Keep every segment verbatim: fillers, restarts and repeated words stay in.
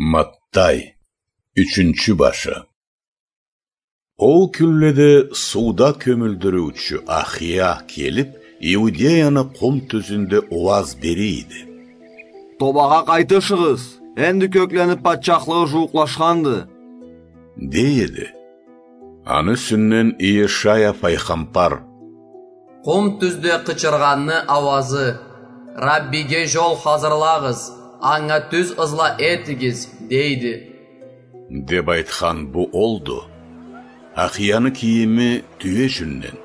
Маттай, ючюнчю башы. Ол кюнледе сууда кёмюлдюрюучю Ахия келип, Иудеяны къум тюзюнде ууаз бере эди. «Тобагъа къайтышыгъыз, энди кёклени патчахлыгъы жууукълашханды», — дей эди. Аны юсюнден Иешая пайгъамбар: «Къум тюзде къычыргъанны ауазы: „Раббиге жол хазырлагъыз, анга тюз ызла этигиз“, — дейди», — деп айтхан бу олду. Ахияны кийими тюе жюнден,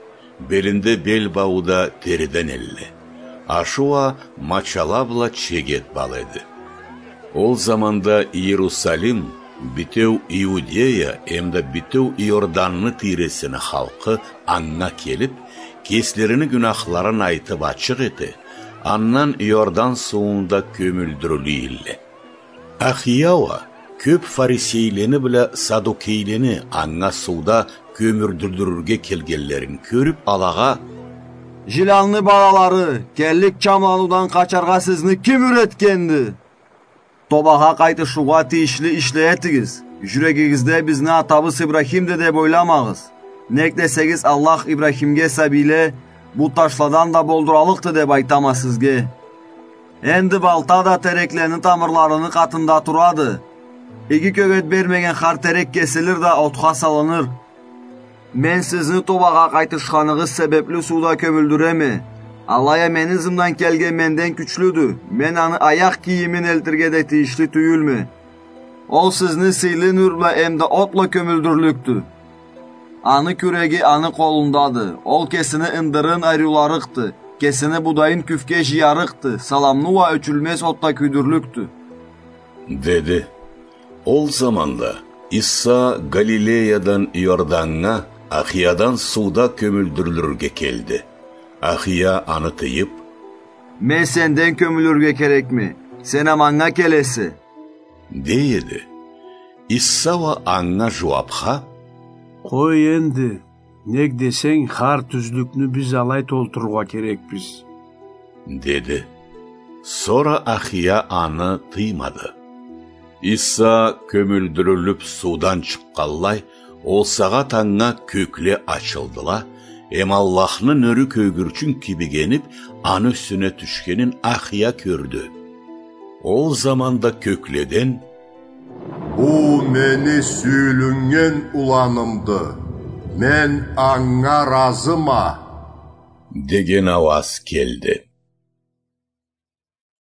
белинде бел бауу да териден элле. Ашы уа мачала бла чегет бал эди. Ол заманда Иерусалим, битеу Иудея эмда битеу Иорданны тийресини халкъы анга келип, кеслерини гюнахларын айтып ачыкъ эте, андан Иордан суунда кёмюлдюрюле эдиле. Ахия уа кёп фарисейлени бла садукейлени анга сууда кёмюлдюрюлюрге келгенлерин кёрюп, алагъа: «Жиланны балалары, келлик чамлануудан къачаргъа сизни ким юретгенди? Тобагъа къайтышыугъа тийишли ишле этигиз. Жюрегигизде бизни атабыз Ибрахимди деп ойламагъыз. Нек десегиз, Аллах Ибрахимге сабийле бу ташладан да болдураллыкъды деп айтама сизге. Энди балта да тереклени тамырларыны къатында турады. Иги кёгет бермеген хар терек кесилир да отха салыныр. Мен сизни тобагъа къайтышханыгъыз себепли сууда кёмюлдюреме. Алай а мени ызымдан келген менден кючлюдю. Мен аны аякъ кийимин элтирге да тийишли тюйюлме. Ол сизни сыйлы нюр бла эмда от бла кёмюлдюрлюкдю. Аны кюреги аны къолундады. Ол кесини ындырын айрыуларыкъды, кесини будайын кюфге жыярыкъды, саламны уа ёчюлмез отда кюйдюрлюкдю», — деди. Ол заманда Иса Галилеядан Иорданнга Ахиядан сууда кёмюлдюрюлюрге келди. Ахия аны тыйып: «Мен сенден кёмюлюрге керекме, сен а манга келесе», — дей эди. Иса уа анга жууапха: «Къой энди, нек десенг, хар тюзлюкню биз алай толтурургъа керекбиз», — деди. Сора Ахия аны тыймады. Иса кёмюлдюрюлюп суудан чыкъгъанлай, ол сагъат анга кёкле ачылдыла, эм Аллахны нюрю кёгюрчюн кибик енип, аны юсюне тюшгенин Ахия кёрдю. Ол заманда кёкледен: «Бу мени сюйюлюннген уланымды, мен анга разыма», — деген ауаз келди.